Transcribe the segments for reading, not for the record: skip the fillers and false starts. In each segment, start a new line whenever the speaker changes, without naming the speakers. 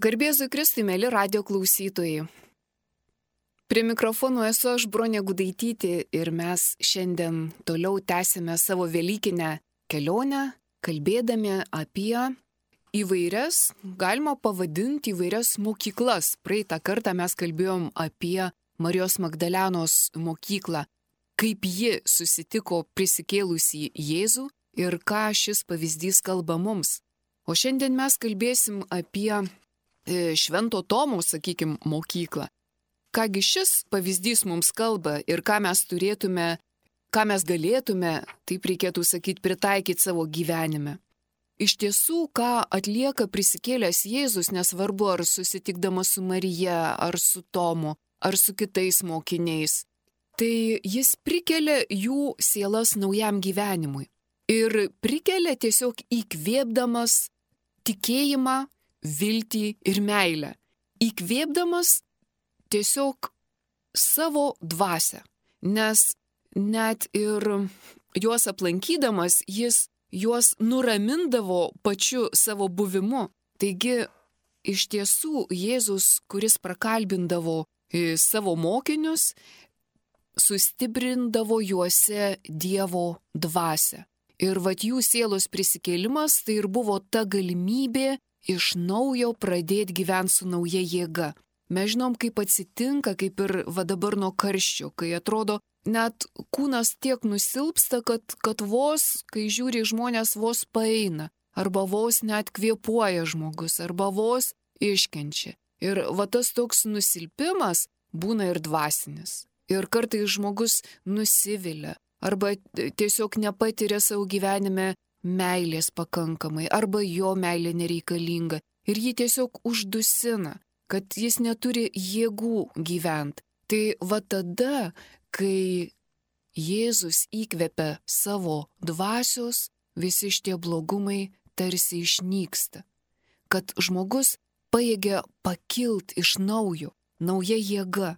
Garbėzui Kristui, mėly radio klausytojai. Prie mikrofono esu aš, Bronė Gudaitytė, ir mes šiandien toliau tęsime savo velykinę kelionę, kalbėdami apie įvairias, galima pavadinti įvairias mokyklas. Praeitą kartą mes kalbėjom apie Marijos Magdalenos mokyklą, kaip ji susitiko prisikėlusį Jėzų ir ką šis pavyzdys kalba mums. O šiandien mes kalbėsim apie Švento Tomo, mokyklą. Kągi šis pavyzdys mums kalba ir ką mes galėtume, taip reikėtų sakyti, pritaikyti savo gyvenime. Iš tiesų, ką atlieka prisikėlęs Jėzus, nesvarbu ar susitikdamas su Marija, ar su Tomu, ar su kitais mokiniais, tai jis prikelia jų sielas naujam gyvenimui. Ir prikelia tiesiog įkvėpdamas tikėjimą, viltį ir meilę. Įkvėpdamas tiesiog savo dvasią, nes net ir juos aplankydamas jis juos nuramindavo pačiu savo buvimu. Taigi iš tiesų Jėzus, kuris prakalbindavo savo mokinius, sustiprindavo juose Dievo dvasią. Ir jų sielos prisikėlimas tai ir buvo ta galimybė iš naujo pradėti gyventi su nauja jėga. Mes žinom, kaip atsitinka, kaip ir dabar nuo karščio, kai atrodo, net kūnas tiek nusilpsta, kad vos, kai žiūri žmonės, vos paeina, arba vos net kvėpuoja žmogus, arba vos iškenčia. Ir tas toks nusilpimas būna ir dvasinis. Ir kartais žmogus nusivilia, arba tiesiog nepatiria savo gyvenime meilės pakankamai, arba jo meilė nereikalinga. Ir jį tiesiog uždusina, kad jis neturi jėgų gyventi. Tai tada, kai Jėzus įkvepia savo dvasios, visi šitie blogumai tarsi išnyksta. Kad žmogus pajėgia pakilt iš naujo, nauja jėga.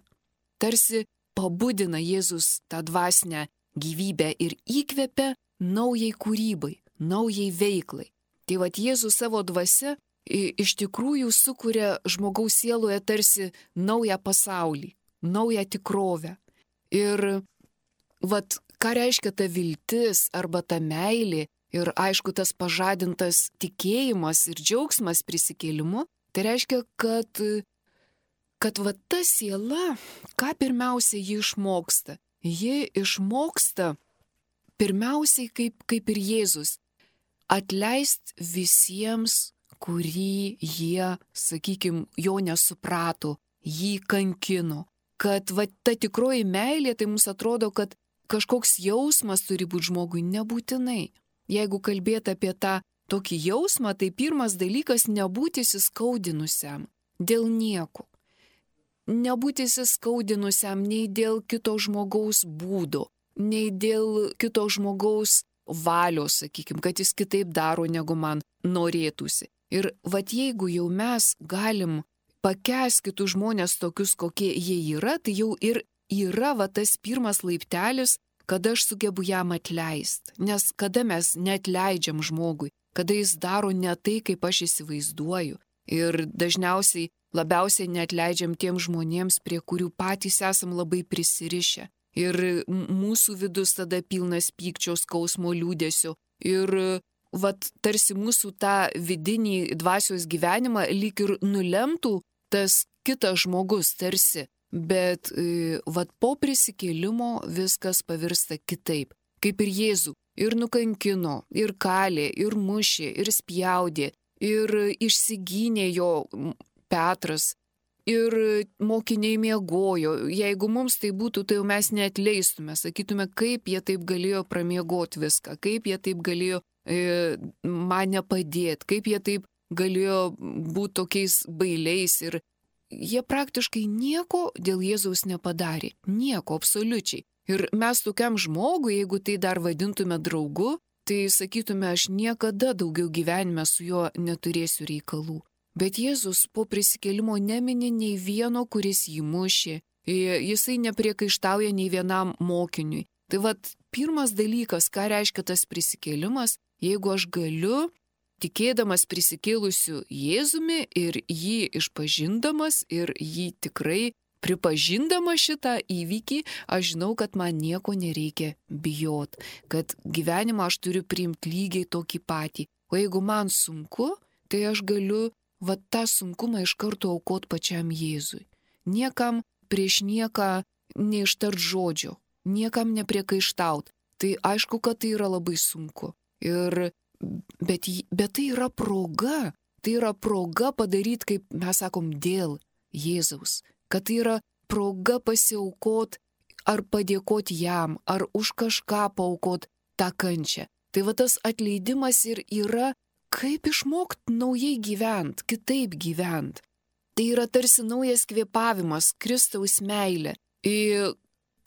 Tarsi pabudina Jėzus tą dvasinę gyvybę ir įkvepia naujai kūrybai, naujai veiklai. Tai Jėzus savo dvasia iš tikrųjų sukuria žmogaus sieloje tarsi naują pasaulį, naują tikrovę. Ir ką reiškia ta viltis arba ta meilė ir aišku tas pažadintas tikėjimas ir džiaugsmas prisikėlimu, tai reiškia, kad ta siela, ką pirmiausia ji išmoksta? Ji išmoksta pirmiausiai kaip ir Jėzus, atleist visiems, kurį jie, jo nesuprato, jį kankino. Kad ta tikroji meilė, tai mums atrodo, kad kažkoks jausmas turi būti žmogui, nebūtinai. Jeigu kalbėti apie tą tokį jausmą, tai pirmas dalykas - nebūti įskaudinusiam dėl nieko. Nebūti įskaudinusiam nei dėl kito žmogaus būdo, nei dėl kito žmogaus valios, kad jis kitaip daro, negu man norėtųsi. Ir jeigu jau mes galim pakęsti kitus žmonės tokius, kokie jie yra, tai jau ir yra tas pirmas laiptelis, kada aš sugebu jam atleisti. Nes kada mes neatleidžiam žmogui, kada jis daro ne tai, kaip aš įsivaizduoju. Ir dažniausiai labiausiai neatleidžiam tiem žmonėms, prie kurių patys esam labai prisirišę. Ir mūsų vidus tada pilnas pykčio, skausmo, liūdesio. Ir tarsi mūsų tą vidinį dvasios gyvenimą lyg ir nulemtų tas kitas žmogus tarsi. Bet po prisikėlimo viskas pavirsta kitaip. Kaip ir Jėzų. Ir nukankino, ir kalė, ir mušė, ir spjaudė, ir išsigynė jo Petras. Ir mokiniai miegojo. Jeigu mums tai būtų, tai jau mes neatleistume. Sakytume, kaip jie taip galėjo pramiegoti viską, kaip jie taip galėjo man nepadėti, kaip jie taip galėjo būti tokiais bailiais. Ir jie praktiškai nieko dėl Jėzaus nepadarė. Nieko, absoliučiai. Ir mes tokiam žmogui, jeigu tai dar vadintume draugu, tai sakytume, aš niekada daugiau gyvenime su juo neturėsiu reikalų. Bet Jėzus po prisikėlimo nemini nei vieno, kuris jį mušė. Jisai nepriekaištauja nei vienam mokiniui. Tai pirmas dalykas, ką reiškia tas prisikėlimas, jeigu aš galiu tikėdamas prisikėlusiu Jėzumi ir jį išpažindamas ir jį tikrai pripažindama šitą įvykį, aš žinau, kad man nieko nereikia bijot, kad gyvenimą aš turiu priimti lygiai tokį patį. O jeigu man sunku, tai aš galiu tą sunkumą iš karto aukot pačiam Jėzui. Niekam prieš nieką neištart žodžio, niekam nepriekaištaut. Tai aišku, kad tai yra labai sunku. Bet tai yra proga. Tai yra proga padaryti, kaip mes sakom, dėl Jėzaus. Kad tai yra proga pasiaukot ar padėkoti jam, ar už kažką paaukot tą kančią. Tai va tas atleidimas ir yra, kaip išmokti naujai gyventi, kitaip gyventi. Tai yra tarsi naujas kvėpavimas, Kristaus meilė. Ir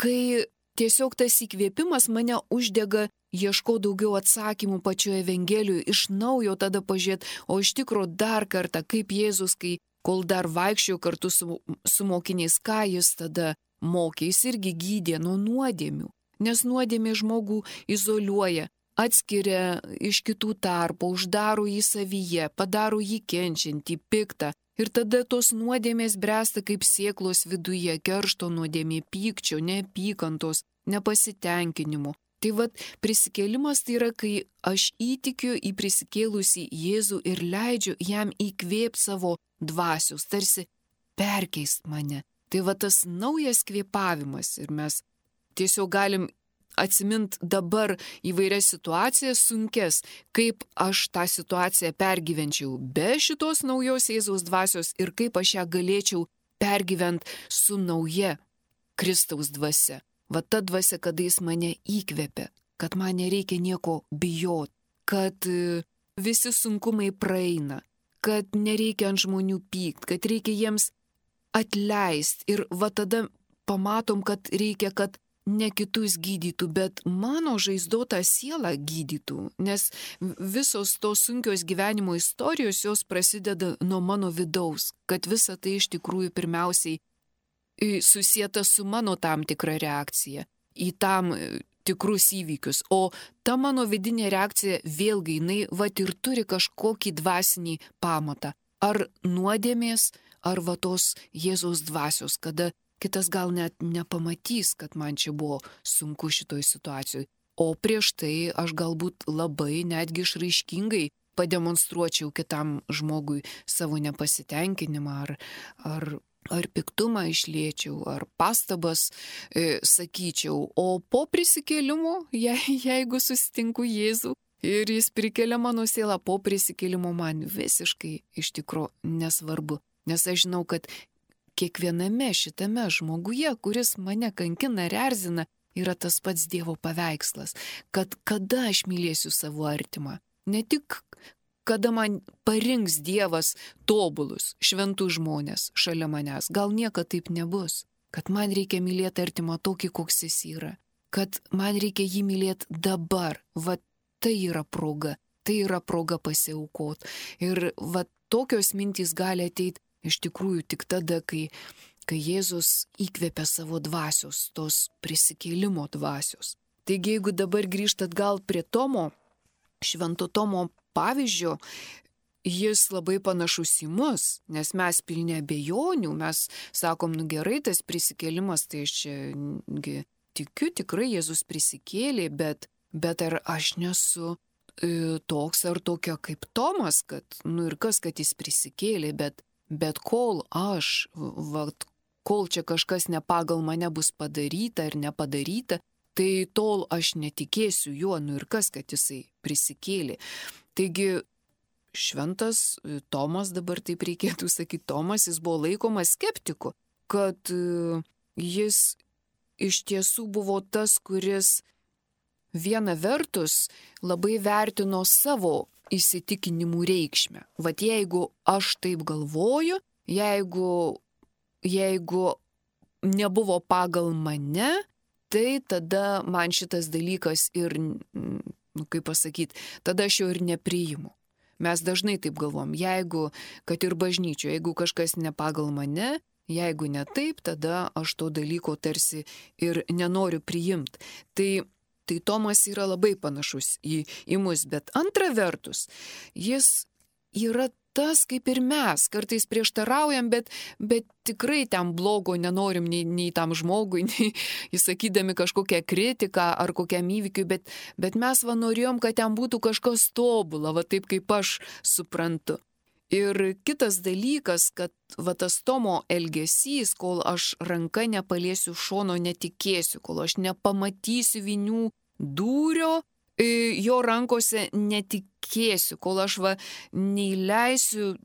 kai tiesiog tas įkvėpimas mane uždega, ieško daugiau atsakymų pačioje Evangelijoje, iš naujo tada pažiūrėti, o iš tikro dar kartą, kaip Jėzus, kol dar vaikščiojo kartu su mokiniais, ką jis tada mokė, jis irgi gydė nuo nuodėmių, nes nuodėmė žmogų izoliuoja, atskiria iš kitų tarpo, uždaro jį savyje, padaro jį kenčiantį, piktą. Ir tada tos nuodėmės bręsta kaip sėklos viduje, keršto nuodėmė, pykčio, neapykantos, nepasitenkinimo. Tai prisikėlimas tai yra, kai aš įtikiu į prisikėlusį Jėzų ir leidžiu jam įkvėpti savo dvasios, tarsi perkeist mane. Tai tas naujas kvėpavimas ir mes tiesiog galim atsimint dabar įvairias situacijas sunkes, kaip aš tą situaciją pergyvenčiau be šitos naujos Jėzaus dvasios ir kaip aš ją galėčiau pergyventi su nauja Kristaus dvasia. Ta dvasia, kada jis mane įkvėpia, kad man nereikia nieko bijot, kad visi sunkumai praeina, kad nereikia ant žmonių pykt, kad reikia jiems atleisti ir tada pamatom, kad reikia, kad ne kitus gydytų, bet mano žaizdotą sielą gydytų, nes visos tos sunkios gyvenimo istorijos jos prasideda nuo mano vidaus, kad visa tai iš tikrųjų pirmiausiai susieta su mano tam tikra reakcija į tam tikrus įvykius, o ta mano vidinė reakcija vėlgi jinai ir turi kažkokį dvasinį pamatą, ar nuodėmės, ar tos Jėzaus dvasios, kada kitas gal net nepamatys, kad man čia buvo sunku šitoj situacijoje. O prieš tai aš galbūt labai netgi išraiškingai pademonstruočiau kitam žmogui savo nepasitenkinimą ar piktumą išliečiau, ar pastabas sakyčiau. O po prisikėlimo, jeigu susitinku Jėzų ir jis prikelia mano sielą, po prisikėlimo man visiškai iš tikro nesvarbu. Nes aš žinau, kad kiekviename šitame žmoguje, kuris mane kankina ir erzina, yra tas pats Dievo paveikslas, kad kada aš mylėsiu savo artimą. Ne tik kada man parinks Dievas tobulus, šventus žmonės šalia manęs, gal niekada taip nebus, kad man reikia mylėti artimą tokį, koks jis yra, kad man reikia jį mylėti dabar, tai yra proga pasiaukot. Ir tokios mintys gali ateiti iš tikrųjų tik tada, kai Jėzus įkvėpia savo dvasios, tos prisikėlimo dvasios. Taigi, jeigu dabar grįžtat gal prie Tomo, švento Tomo pavyzdžio, jis labai panašus į mus, nes mes pilni abejonių, mes sakom, gerai, tas prisikėlimas, tai aš čia tikiu, tikrai Jėzus prisikėlė, bet ar aš nesu toks ar tokia kaip Tomas, kad, ir kas, kad jis prisikėlė, bet kol aš, kol čia kažkas ne pagal mane bus padaryta ar nepadaryta, tai tol aš netikėsiu juo, ir kas, kad jisai prisikėlė. Taigi šventas Tomas, dabar taip reikėtų sakyti, Tomas, jis buvo laikomas skeptiku, kad jis iš tiesų buvo tas, kuris viena vertus labai vertino savo įsitikinimų reikšmę. Jeigu aš taip galvoju, jeigu nebuvo pagal mane, tai tada man šitas dalykas ir, tada aš jo ir nepriimu. Mes dažnai taip galvom, kad ir bažnyčioje, jeigu kažkas ne pagal mane, jeigu ne taip, tada aš to dalyko tarsi ir nenoriu priimti. Tai Tai Tomas yra labai panašus į mus, bet antra vertus, jis yra tas kaip ir mes, kartais prieštaraujam, bet tikrai ten blogo nenorim nei tam žmogui, nei įsakydami kažkokią kritiką ar kokiam įvykiui, bet mes norėjom, kad ten būtų kažkas tobula, taip kaip aš suprantu. Ir kitas dalykas, kad tas Tomo elgesys, kol aš ranka nepaliesiu šono, netikėsiu, kol aš nepamatysiu vinių dūrio, jo rankose netikėsiu, kol aš neįleisiu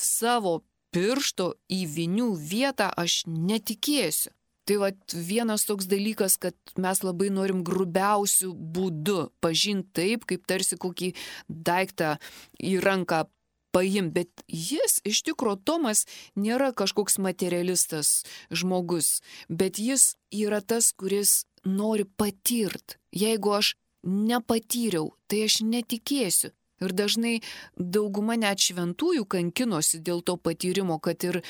savo piršto į vinių vietą, aš netikėsiu. Tai vienas toks dalykas, kad mes labai norim grubiausių būdų pažinti taip, kaip tarsi kokį daiktą į ranką paimti, bet jis, iš tikro, Tomas nėra kažkoks materialistas žmogus, bet jis yra tas, kuris nori patirti. Jeigu aš nepatyriau, tai aš netikėsiu. Ir dažnai dauguma net šventųjų kankinosi dėl to patyrimo, kad ir,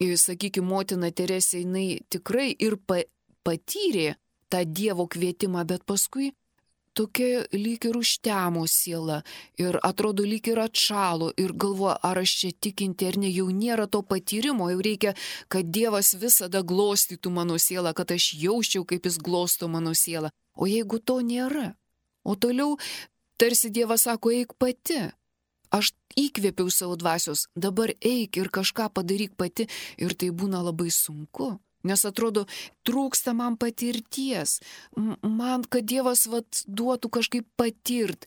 sakykime, motina Teresė, jinai tikrai ir patyrė tą Dievo kvietimą, bet paskui tokia lyg ir užtemo siela ir atrodo lyg ir atšalo ir galvoja, ar aš čia tikinti ar ne, jau nėra to patyrimo, jau reikia, kad Dievas visada glostytų mano sielą, kad aš jausčiau, kaip jis glosto mano sielą. O jeigu to nėra, o toliau tarsi Dievas sako, eik pati, aš įkvėpiau savo dvasios, dabar eik ir kažką padaryk pati, ir tai būna labai sunku. Nes atrodo, trūksta man patirties, man, kad Dievas duotų kažkaip patirt.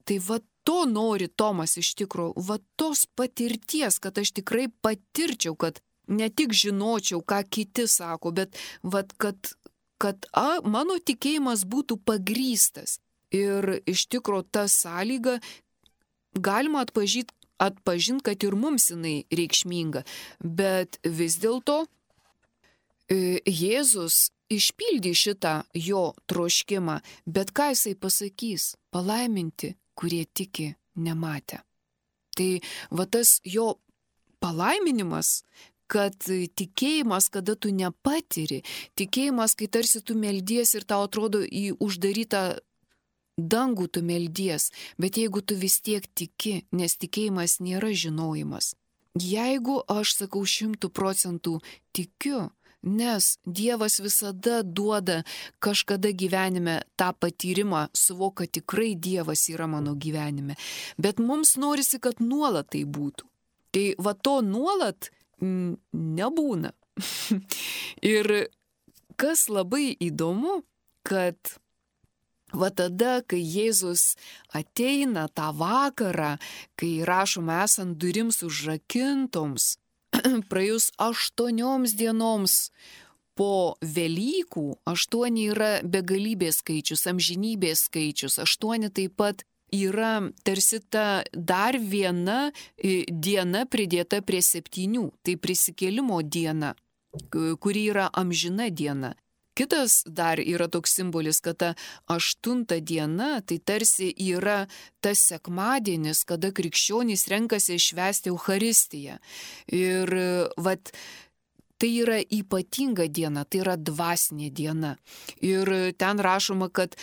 Tai to nori Tomas iš tikrųjų, tos patirties, kad aš tikrai patirčiau, kad ne tik žinočiau, ką kiti sako, bet kad mano tikėjimas būtų pagrįstas. Ir iš tikrųjų tą sąlygą galima atpažinti, kad ir mums jinai reikšminga, bet vis dėlto Jėzus išpildė šitą jo troškimą, bet ką jisai pasakys? Palaiminti, kurie tiki nematę. Tai tas jo palaiminimas, kad tikėjimas, kada tu nepatiri, tikėjimas, kai tarsi tu meldies ir tau atrodo į uždarytą dangų tu meldies, bet jeigu tu vis tiek tiki, nes tikėjimas nėra žinojimas. Jeigu aš sakau 100% tikiu, nes Dievas visada duoda kažkada gyvenime tą patyrimą, suvok, kad tikrai Dievas yra mano gyvenime. Bet mums norisi, kad nuolat tai būtų. Tai to nuolat nebūna. Ir kas labai įdomu, kad tada, kai Jėzus ateina tą vakarą, kai rašoma esant durims užrakintoms, praėjus 8 dienoms po Velykų, 8 yra begalybės skaičius, amžinybės skaičius, 8 taip pat yra tarsi ta dar viena diena pridėta prie 7, tai prisikėlimo diena, kuri yra amžina diena. Kitas dar yra toks simbolis, kad ta 8 diena, tai tarsi yra tas sekmadienis, kada krikščionys renkasi švęsti Eucharistiją. Ir tai yra ypatinga diena, tai yra dvasinė diena. Ir ten rašoma, kad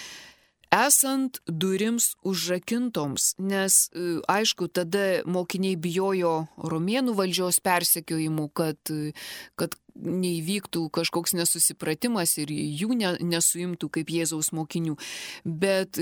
esant durims užrakintoms, nes aišku, tada mokiniai bijojo romėnų valdžios persekiojimų, kad neįvyktų kažkoks nesusipratimas ir jų nesuimtų kaip Jėzaus mokinių. Bet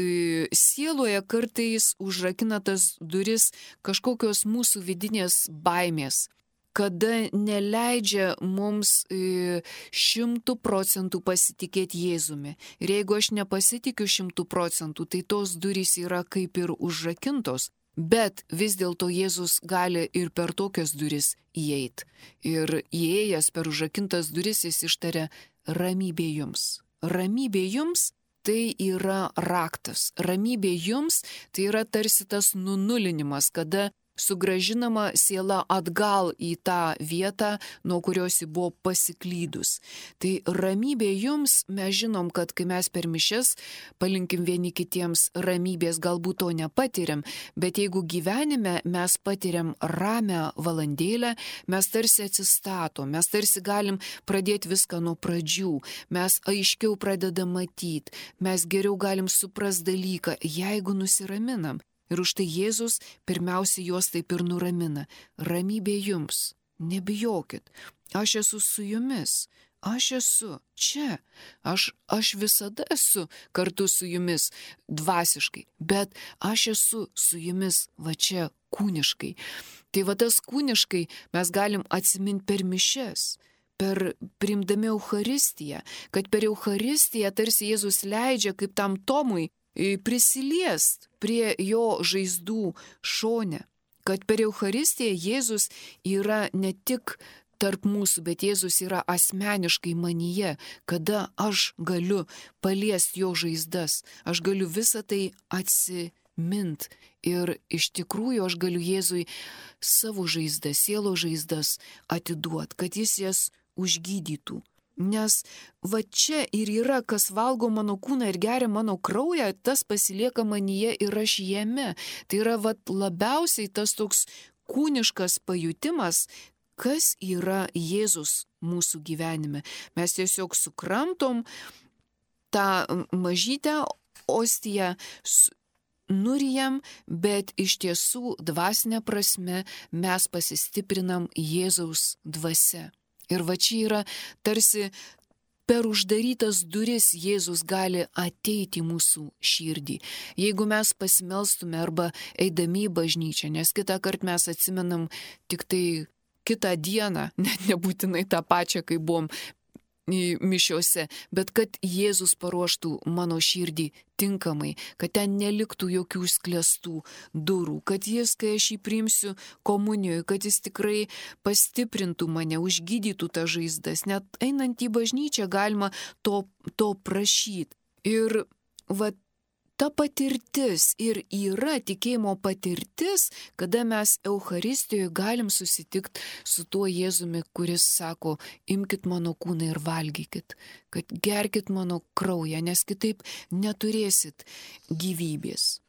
sieloje kartais užrakina tas duris kažkokios mūsų vidinės baimės, kada neleidžia mums 100% pasitikėti Jėzumi. Ir jeigu aš nepasitikiu 100%, tai tos durys yra kaip ir užrakintos. Bet vis dėlto Jėzus gali ir per tokias duris įeiti. Ir įėjęs per užrakintas duris jis ištaria ramybė jums. Ramybė jums tai yra raktas. Ramybė jums tai yra tarsi tas nunulinimas, kada sugražinama siela atgal į tą vietą, nuo kurios ji buvo pasiklydus. Tai ramybė jums, mes žinom, kad kai mes per mišias palinkim vieni kitiems ramybės, galbūt to nepatiriam, bet jeigu gyvenime mes patiriam ramią valandėlę, mes tarsi atsistatom, mes tarsi galim pradėti viską nuo pradžių, mes aiškiau pradedam matyti, mes geriau galim suprast dalyką, jeigu nusiraminam. Ir už tai Jėzus pirmiausia juos taip ir nuramina. Ramybė jums, nebijokit, aš esu su jumis, aš esu čia, aš visada esu kartu su jumis dvasiškai, bet aš esu su jumis va čia kūniškai. Tai va tas kūniškai mes galim atsiminti per mišias, per priimdami Eucharistiją, kad per Eucharistiją tarsi Jėzus leidžia kaip tam Tomui prisiliest prie jo žaizdų šone, kad per Eucharistiją Jėzus yra ne tik tarp mūsų, bet Jėzus yra asmeniškai manyje, kada aš galiu paliesti jo žaizdas, aš galiu visą tai atsimint ir iš tikrųjų aš galiu Jėzui savo žaizdas, sielo žaizdas atiduot, kad jis jas užgydytų. Nes va čia ir yra, kas valgo mano kūną ir geria mano kraują, tas pasilieka manyje ir aš jame. Tai yra va labiausiai tas toks kūniškas pajutimas, kas yra Jėzus mūsų gyvenime. Mes tiesiog sukramtom tą mažytę ostiją, nurijam, bet iš tiesų dvasinė prasme mes pasistiprinam Jėzaus dvasia. Ir va čia yra tarsi per uždarytas duris Jėzus gali ateiti į mūsų širdį. Jeigu mes pasimelstume arba eidami į bažnyčią, nes kitą kartą mes atsimenam tik tai kitą dieną, net nebūtinai tą pačią, kai buvom mišiose, bet kad Jėzus paruoštų mano širdį tinkamai, kad ten neliktų jokių sklestų durų, kad jis, kai aš jį priimsiu komunijoje, kad jis tikrai pastiprintų mane, užgydytų tą žaizdas. Net einant į bažnyčią galima to prašyti. Ir va ta patirtis ir yra tikėjimo patirtis, kada mes Eucharistijoje galim susitikti su tuo Jėzumi, kuris sako, imkit mano kūną ir valgykit, kad gerkit mano kraują, nes kitaip neturėsit gyvybės.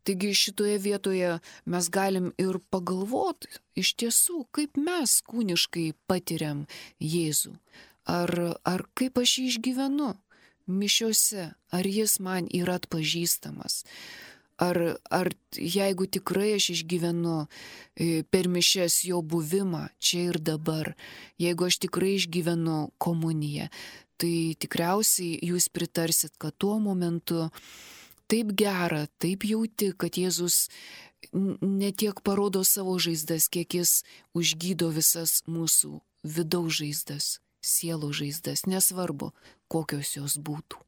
Taigi šitoje vietoje mes galim ir pagalvoti iš tiesų, kaip mes kūniškai patiriam Jėzų, ar kaip aš jį išgyvenu. Mišiose, ar jis man yra atpažįstamas, ar jeigu tikrai aš išgyvenu per mišias jo buvimą čia ir dabar, jeigu aš tikrai išgyvenu komuniją, tai tikriausiai jūs pritarsit, kad tuo momentu taip gera, taip jauti, kad Jėzus ne tiek parodo savo žaizdas, kiek jis užgydo visas mūsų vidaus žaizdas. Sielo žaizdas, nesvarbu, kokios jos būtų.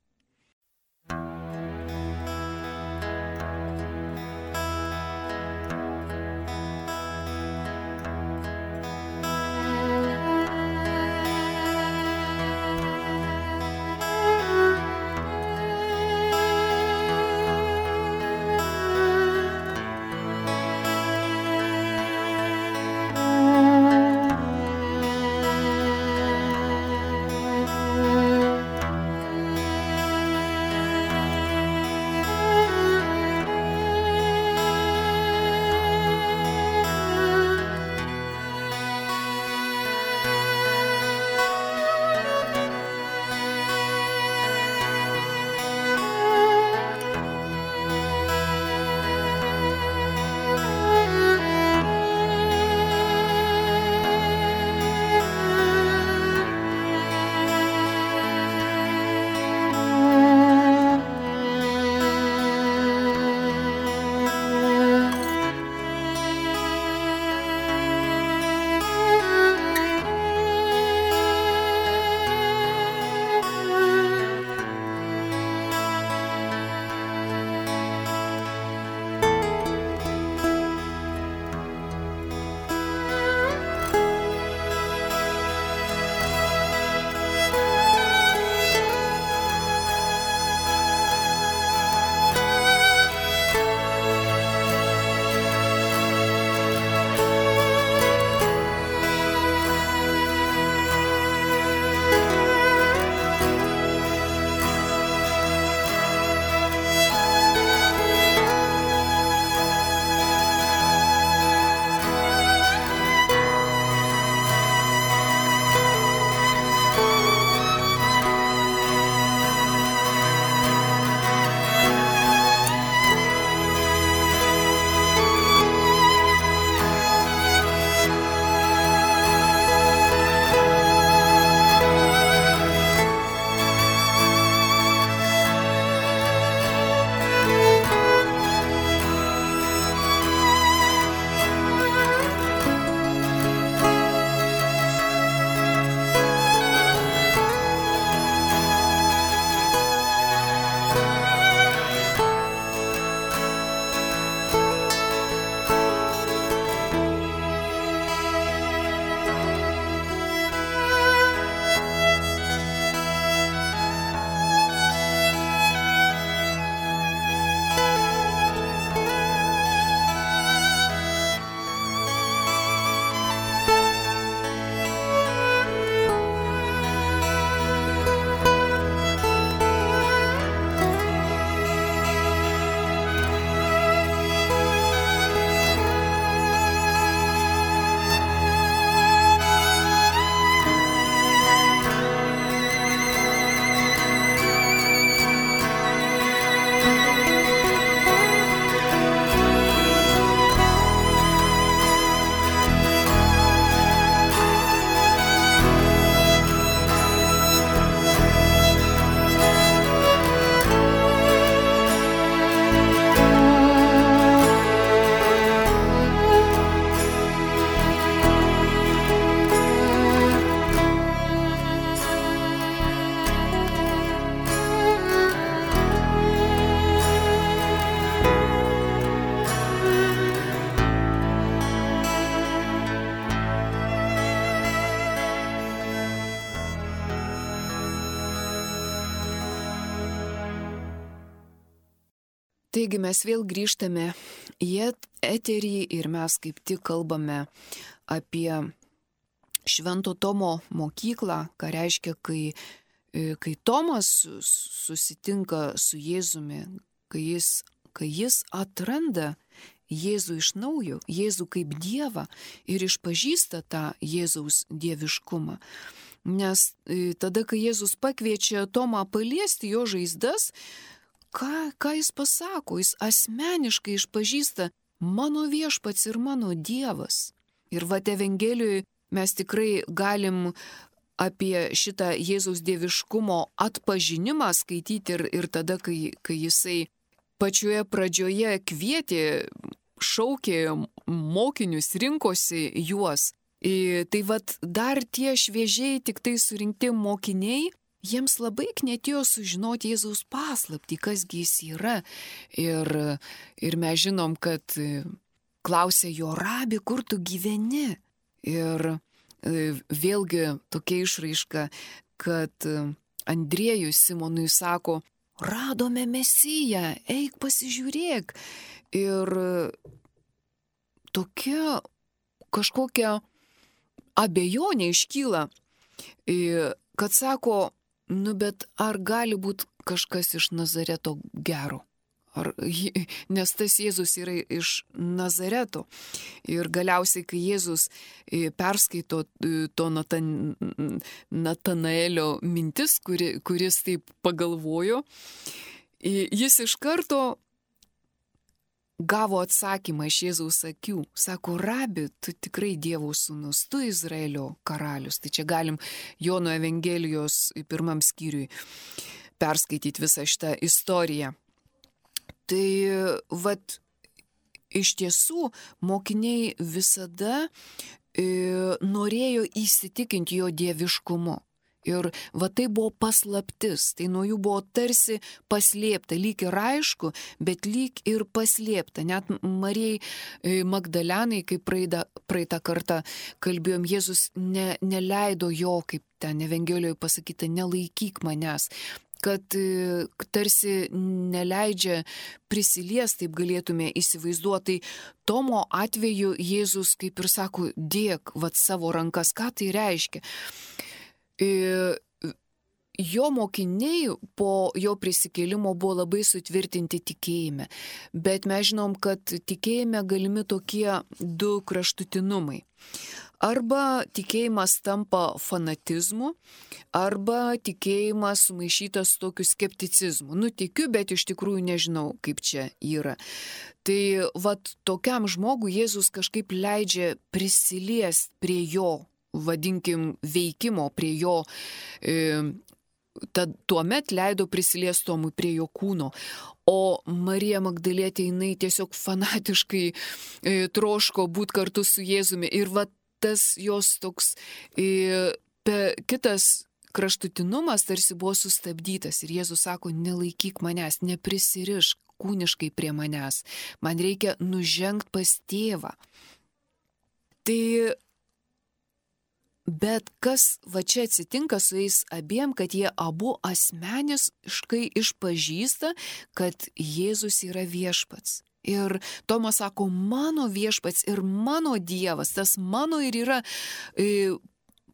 Taigi mes vėl grįžtame į eterį ir mes kaip tik kalbame apie Švento Tomo mokyklą, ką reiškia, kai Tomas susitinka su Jėzumi, kai jis atranda Jėzų iš naujo, Jėzų kaip Dievą ir išpažįsta tą Jėzaus dieviškumą. Nes tada, kai Jėzus pakviečia Tomą paliesti jo žaizdas, ką jis pasako? Jis asmeniškai išpažįsta mano viešpats ir mano Dievas. Ir Evangelijoje mes tikrai galim apie šitą Jėzaus dieviškumo atpažinimą skaityti ir tada, kai jisai pačioje pradžioje kvietė, šaukė mokinius, rinkosi juos. Tai dar tie šviežiai tik tai surinkti mokiniai, jiems labai knietėjo sužinoti Jėzaus paslaptį, kasgi jis yra. Ir mes žinom, kad klausė jo: Rabi, kur tu gyveni? Ir vėlgi tokia išraiška, kad Andriejus Simonui sako: radome Mesiją, eik pasižiūrėk. Ir tokia kažkokia abejonė iškyla, kad sako: bet ar gali būti kažkas iš Nazareto gero? Nes tas Jėzus yra iš Nazareto. Ir galiausiai, kai Jėzus perskaito to Natanaelio mintis, kuris taip pagalvojo, jis iš karto gavo atsakymą iš Jėzaus akių. Sako: Rabi, tu tikrai Dievo sūnus, tu Izraelio karalius. Tai čia galim Jono Evangelijos 1 skyriui perskaityti visą šitą istoriją. Tai iš tiesų mokiniai visada norėjo įsitikinti jo dieviškumu. Ir tai buvo paslaptis, tai nuo jų buvo tarsi paslėpta, lyg ir aišku, bet lyg ir paslėpta. Net Marijai Magdalenai, kaip praeitą kartą kalbėjom, Jėzus neleido jo, kaip ten Evangelijoje pasakyta, nelaikyk manęs. Kad tarsi neleidžia prisiliesti, taip galėtume įsivaizduoti. Tomo atveju Jėzus kaip ir sako: dėk savo rankas. Ką tai reiškia? Jo mokiniai po jo prisikėlimo buvo labai sutvirtinti tikėjime. Bet mes žinom, kad tikėjime galimi tokie du kraštutinumai. Arba tikėjimas tampa fanatizmu, arba tikėjimas sumaišytas su tokiu skepticizmu. Tikiu, bet iš tikrųjų nežinau, kaip čia yra. Tai tokiam žmogui Jėzus kažkaip leidžia prisiliesti prie jo, vadinkim, veikimo, prie jo, tuomet leido prisiliesti Tomui prie jo kūno. O Marija Magdalietė, jinai tiesiog fanatiškai troško būti kartu su Jėzumi. Ir tas jos toks kitas kraštutinumas tarsi buvo sustabdytas. Ir Jėzus sako: nelaikyk manęs, neprisirišk kūniškai prie manęs. Man reikia nužengti pas tėvą. Tai bet kas čia atsitinka su jais abiem, kad jie abu asmeniškai išpažįsta, kad Jėzus yra viešpats. Ir Tomas sako: mano viešpats ir mano Dievas. Tas mano ir yra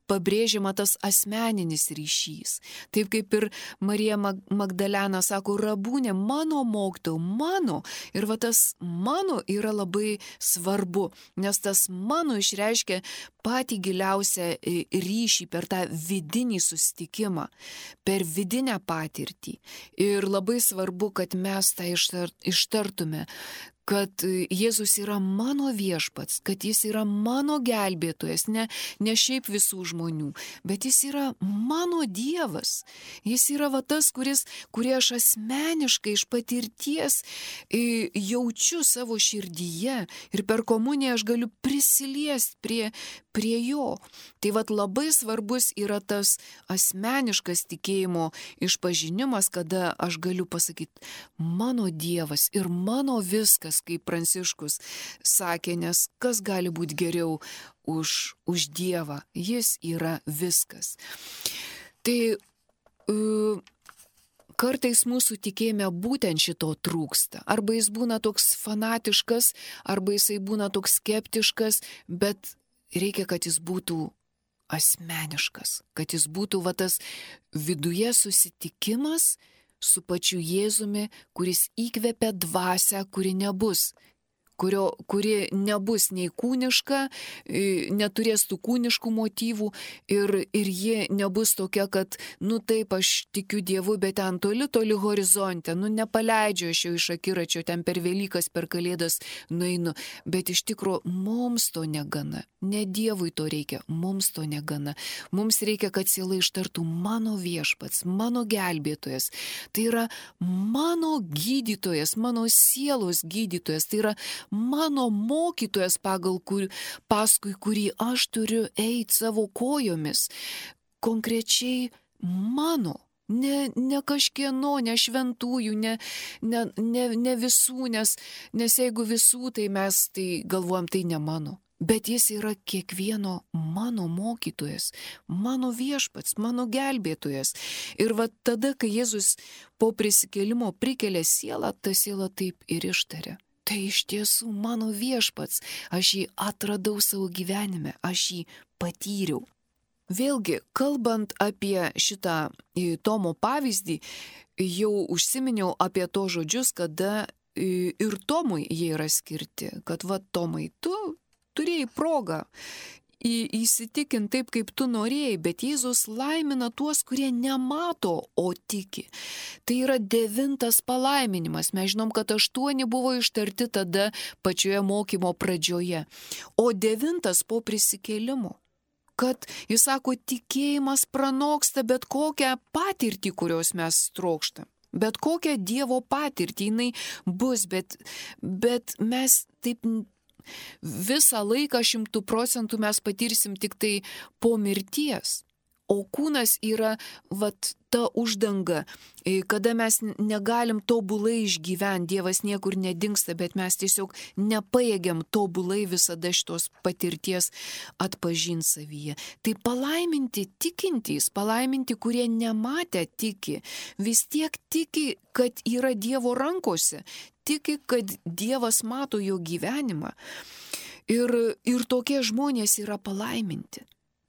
pabrėžiama tas asmeninis ryšys. Taip kaip ir Marija Magdalena sako: Rabūnė, mano mokytojau, mano. Ir tas mano yra labai svarbu, nes tas mano išreiškia patį giliausią ryšį per tą vidinį susitikimą, per vidinę patirtį. Ir labai svarbu, kad mes tą ištartume, kad Jėzus yra mano viešpats, kad jis yra mano gelbėtojas, ne šiaip visų žmonių, bet jis yra mano Dievas. Jis yra tas, kurį aš asmeniškai iš patirties jaučiu savo širdyje ir per komuniją aš galiu prisiliesti prie jo. Tai labai svarbus yra tas asmeniškas tikėjimo išpažinimas, kada aš galiu pasakyti: mano Dievas ir mano viskas, kaip Pranciškus sakė, nes kas gali būti geriau už Dievą? Jis yra viskas. Tai kartais mūsų tikėjime būtent šito trūksta. Arba jis būna toks fanatiškas, arba jisai būna toks skeptiškas, bet reikia, kad jis būtų asmeniškas, kad jis būtų tas viduje susitikimas su pačiu Jėzumi, kuris įkvepia dvasią, kuri nebus nei kūniška, neturės tų kūniškų motyvų ir ji nebus tokia, kad, taip, aš tikiu Dievu, bet ten toli horizonte, nepaleidžiu aš jau iš akiračio, ten per Velykas, per Kalėdas nueinu, bet iš tikrųjų mums to negana, ne Dievui to reikia, mums to negana, mums reikia, kad siela ištartų mano viešpats, mano gelbėtojas, tai yra mano gydytojas, mano sielos gydytojas, tai yra mano mokytojas, paskui kurį aš turiu eiti savo kojomis. Konkrečiai mano, ne kažkieno, ne šventųjų, ne visų, nes jeigu visų, tai mes galvojam, tai ne mano. Bet jis yra kiekvieno mano mokytojas, mano viešpats, mano gelbėtojas. Ir tada, kai Jėzus po prisikėlimo prikelia sielą, ta siela taip ir ištaria. Tai iš tiesų mano viešpats, aš jį atradau savo gyvenime, aš jį patyriau. Vėlgi, kalbant apie šitą Tomo pavyzdį, jau užsiminiau apie to žodžius, kada ir Tomui jie yra skirti, kad Tomai, tu turėjai progą įsitikinti taip, kaip tu norėjai, bet Jėzus laimina tuos, kurie nemato, o tiki. Tai yra 9 palaiminimas. Mes žinom, kad 8 buvo ištarti tada pačioje mokymo pradžioje, o 9 po prisikėlimo. Kad jis sako, tikėjimas pranoksta bet kokią patirtį, kurios mes trokštam. Bet kokią Dievo patirtį jinai bus, bet mes taip visą laiką 100% mes patirsim tik tai po mirties. O kūnas yra ta uždanga, kada mes negalim tobulai išgyventi, Dievas niekur nedingsta, bet mes tiesiog nepajėgiam tobulai visada šitos patirties atpažinti savyje. Tai palaiminti tikintys, palaiminti, kurie nematę tiki, vis tiek tiki, kad yra Dievo rankose, tiki, kad Dievas mato jo gyvenimą. Ir tokie žmonės yra palaiminti.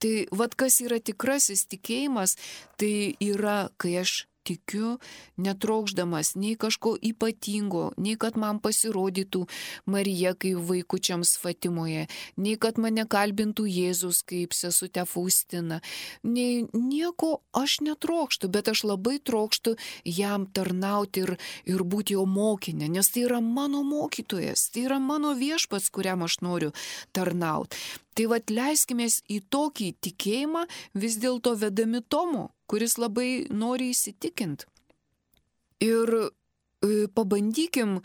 Tai kas yra tikrasis tikėjimas, tai yra, kai aš tikiu, netrokšdamas nei kažko ypatingo, nei kad man pasirodytų Marija kaip vaikučiams Fatimoje, nei kad mane kalbintų Jėzus kaip sesutė Faustina. Nieko aš netrokštu, bet aš labai trokštu jam tarnauti ir būti jo mokinė, nes tai yra mano mokytojas, tai yra mano viešpats, kuriam aš noriu tarnauti. Tai leiskimės į tokį tikėjimą vis dėlto vedami Tomo, kuris labai nori įsitikinti. Ir pabandykim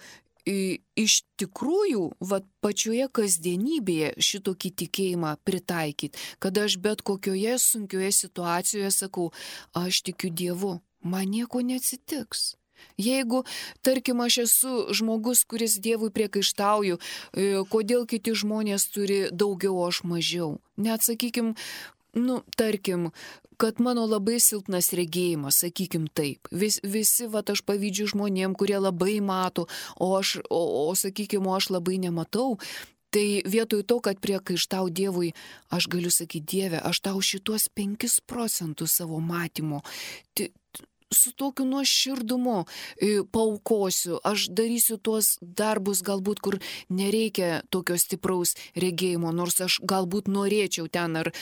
iš tikrųjų pačioje kasdienybėje šitokį tikėjimą pritaikyti, kada aš bet kokioje sunkioje situacijoje sakau, aš tikiu Dievu, man nieko neatsitiks. Jeigu, tarkim, aš esu žmogus, kuris Dievui priekaištauju, kodėl kiti žmonės turi daugiau, o aš mažiau. Net, sakykim, tarkim, kad mano labai silpnas regėjimas, sakykim taip. Visi, aš pavydžiu žmonėm, kurie labai mato, o sakykim, aš labai nematau. Tai vietoj to, kad priekaištau Dievui, aš galiu sakyti, Dieve, aš tau šitos 5% savo matymo su tokiu nuoširdumu paaukosiu, aš darysiu tuos darbus galbūt, kur nereikia tokio stipraus regėjimo, nors aš galbūt norėčiau ten ar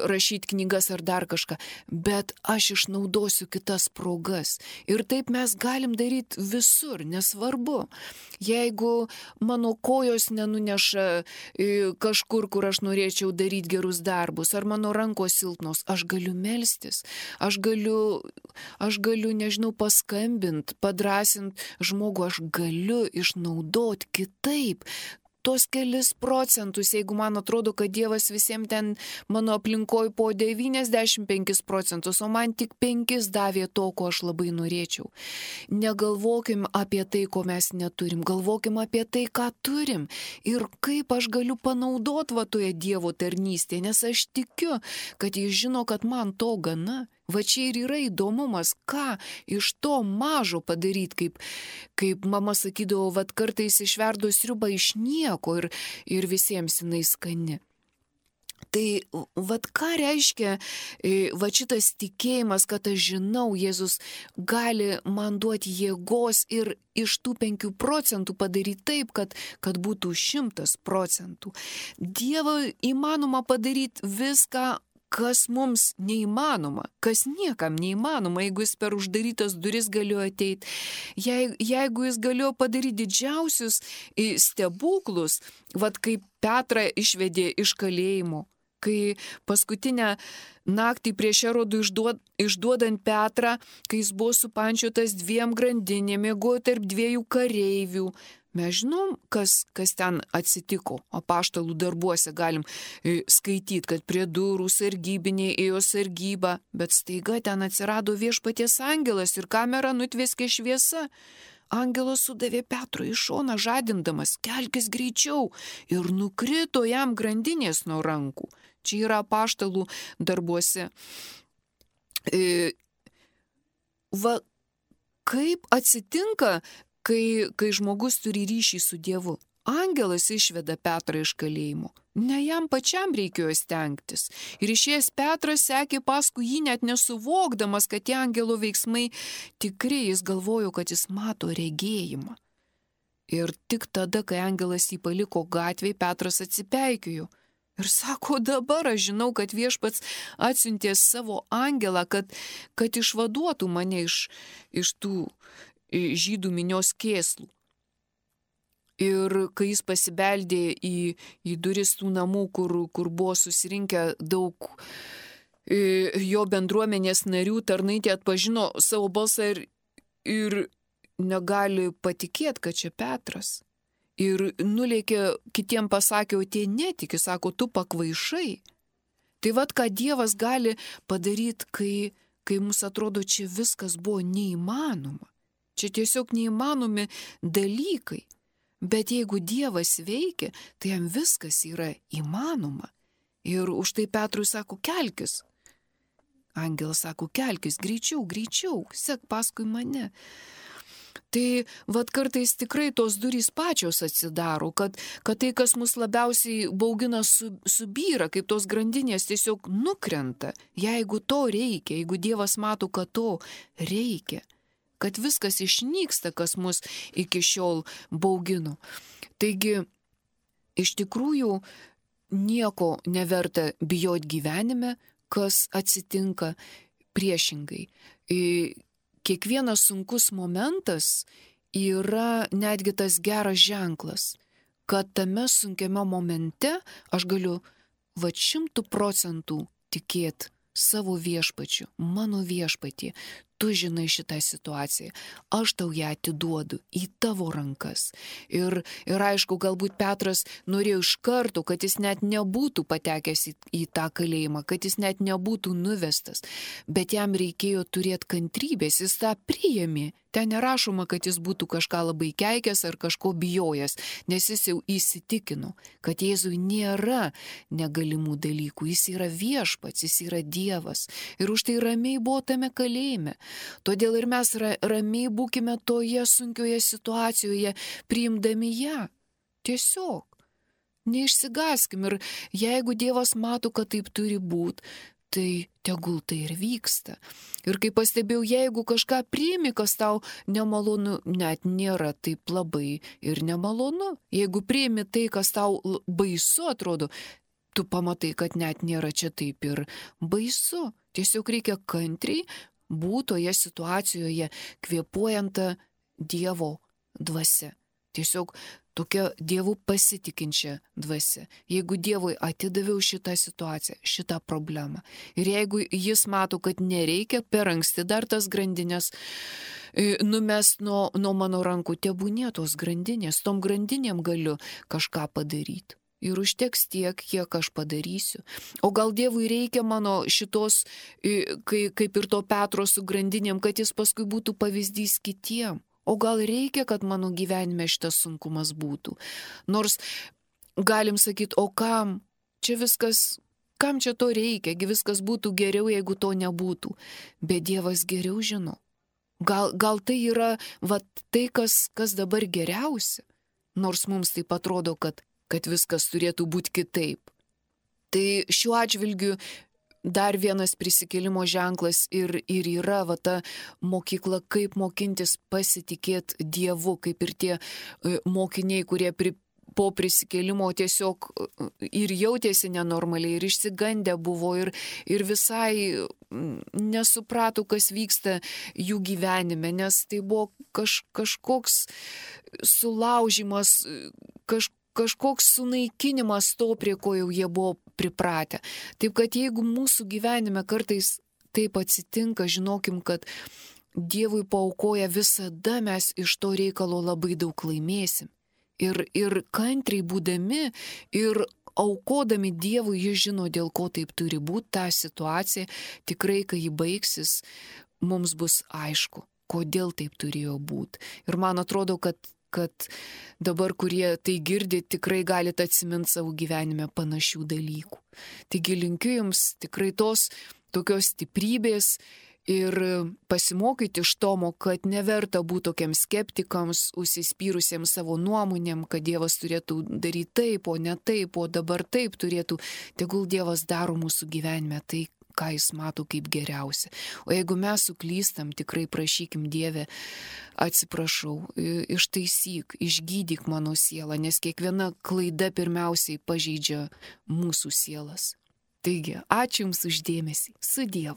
rašyti knygas ar dar kažką, bet aš išnaudosiu kitas progas. Ir taip mes galim daryti visur, nesvarbu. Jeigu mano kojos nenuneša kažkur, kur aš norėčiau daryti gerus darbus, ar mano rankos silpnos, aš galiu melstis, aš galiu, nežinau, paskambinti, padrasinti žmogų, aš galiu išnaudoti kitaip. Tos kelis procentus, jeigu man atrodo, kad Dievas visiems ten mano aplinkoj po 95%, o man tik 5 davė to, ko aš labai norėčiau. Negalvokim apie tai, ko mes neturim, galvokim apie tai, ką turim ir kaip aš galiu panaudoti toje Dievo tarnystėje, nes aš tikiu, kad jis žino, kad man to gana. Va čia ir yra įdomumas, ką iš to mažo padaryti, kaip mama sakydavo, vat kartais išverdo sriubą iš nieko ir visiems jinai skani. Tai vat ką reiškia vat šitas tikėjimas, kad aš žinau, Jėzus gali man duoti jėgos ir iš tų 5 procentų padaryti taip, kad būtų 100%. Dievo įmanoma padaryti viską, kas mums neįmanoma, kas niekam neįmanoma, jeigu jis per uždarytas duris galėjo ateiti, jeigu jis galėjo padaryti didžiausius stebuklus, vat kaip Petrą išvedė iš kalėjimo, kai paskutinę naktį prieš Erodų išduodant Petrą, kai jis buvo supančiotas 2 grandinėmis, miegojo tarp 2 kareivių. Mes žinom, kas ten atsitiko. Apaštalų darbuose galim skaityti, kad prie durų sargybiniai ėjo sargybą, bet staiga ten atsirado viešpaties angelas ir kamerą nutvėskė šviesa. Angelas sudavė Petrui į šoną žadindamas, kelkis greičiau, ir nukrito jam grandinės nuo rankų. Čia yra apaštalų darbuose. Va, kaip atsitinka, kai žmogus turi ryšį su Dievu? Angelas išveda Petrą iš kalėjimo. Ne jam pačiam reikėjo stengtis. Ir išėjęs Petras sekė paskui jį net nesuvokdamas, kad tie angelo veiksmai tikri, jis galvojo, kad jis mato regėjimą. Ir tik tada, kai angelas jį paliko gatvėje, Petras atsipeikėjo. Ir sako, dabar aš žinau, kad viešpats atsiuntė savo angelą, kad išvaduotų mane iš tų žydų minios kėslų. Ir kai jis pasibeldė į duris tų namų, kur buvo susirinkę daug jo bendruomenės narių, tarnaitė atpažino savo balsą ir negali patikėti, kad čia Petras. Ir nulėkė, kitiem pasakė, o tie netiki, sako, tu pakvaišai. Tai vat, ką Dievas gali padaryti, kai mums atrodo, čia viskas buvo neįmanoma. Čia tiesiog neįmanomi dalykai. Bet jeigu Dievas veikia, tai jam viskas yra įmanoma. Ir už tai Petrui sako, kelkis. Angelas sako, kelkis, greičiau, sek paskui mane. Tai vat kartais tikrai tos durys pačios atsidaro, kad tai, kas mus labiausiai baugina, subyra, kaip tos grandinės tiesiog nukrenta. Jeigu to reikia, jeigu Dievas mato, kad to reikia, kad viskas išnyksta, kas mus iki šiol baugino. Taigi, iš tikrųjų, nieko neverta bijoti gyvenime, kas atsitinka priešingai. Kiekvienas sunkus momentas yra netgi tas geras ženklas, kad tame sunkiame momente aš galiu 100% tikėti savo viešpačiu, mano viešpatį. Tu žinai šitą situaciją, aš tau ją atiduodu į tavo rankas. Ir aišku, galbūt Petras norėjo iš karto, kad jis net nebūtų patekęs į tą kalėjimą, kad jis net nebūtų nuvestas, bet jam reikėjo turėti kantrybės, jis tą priėmė. Ten nerašoma, kad jis būtų kažką labai keikęs ar kažko bijojęs, nes jis jau įsitikino, kad Jėzui nėra negalimų dalykų, jis yra viešpats, jis yra Dievas. Ir už tai ramiai buvo tame kalėjime. Todėl ir mes ramiai būkime toje sunkioje situacijoje, priimdami ją. Tiesiog. Neišsigaskim. Ir jeigu Dievas mato, kad taip turi būti, tai tegul tai ir vyksta. Ir kaip pastebėjau, jeigu kažką priimi, kas tau nemalonu, net nėra taip labai ir nemalonu. Jeigu priimi tai, kas tau baisu atrodo, tu pamatai, kad net nėra čia taip ir baisu. Tiesiog reikia kantriai būti toje situacijoje, kvėpuojant Dievo dvasia. Tiesiog tokia Dievu pasitikinčia dvasia. Jeigu Dievui atidaviau šitą situaciją, šitą problemą, ir jeigu jis mato, kad nereikia per anksti dar tas grandinės numest nuo mano rankų, tebūnie tos grandinės, tom grandinėm galiu kažką padaryti. Ir užteks tiek, kiek aš padarysiu. O gal Dievui reikia mano šitos, kaip ir to Petro su grandinėm, kad jis paskui būtų pavyzdys kitiem. O gal reikia, kad mano gyvenime šitas sunkumas būtų. Nors galim sakyti, o kam? Čia viskas kam čia to reikia, viskas būtų geriau, jeigu to nebūtų. Bet Dievas geriau žino. Gal tai yra tai, kas dabar geriausia, nors mums taip atrodo, kad viskas turėtų būti kitaip. Tai šiuo atžvilgiu dar vienas prisikėlimo ženklas ir yra ta mokykla, kaip mokintis pasitikėti Dievu, kaip ir tie mokiniai, kurie po prisikėlimo tiesiog ir jautėsi nenormaliai, ir išsigandę buvo, ir visai nesuprato, kas vyksta jų gyvenime, nes tai buvo kažkoks sulaužimas, kažkoks sunaikinimas to, prie ko jau jie buvo pripratę. Taip kad jeigu mūsų gyvenime kartais taip atsitinka, žinokim, kad Dievui paaukoja, visada mes iš to reikalo labai daug laimėsim. Ir kantriai būdami ir aukodami Dievui, jis žino, dėl ko taip turi būti ta situacija. Tikrai, kai ji baigsis, mums bus aišku, kodėl taip turėjo būti. Ir man atrodo, kad dabar, kurie tai girdi, tikrai galite atsiminti savo gyvenime panašių dalykų. Taigi linkiu jums tikrai tos tokios stiprybės ir pasimokyti iš Tomo, kad neverta būti tokiems skeptikams, užsispyrusiems savo nuomonėm, kad Dievas turėtų daryti taip, o ne taip, o dabar taip turėtų. Tegul Dievas daro mūsų gyvenime tai, ką jis mato kaip geriausia. O jeigu mes suklystam, tikrai prašykim Dieve, atsiprašau, ištaisyk, išgydyk mano sielą, nes kiekviena klaida pirmiausiai pažeidžia mūsų sielas. Taigi, ačiū Jums už dėmesį. Su Dievu.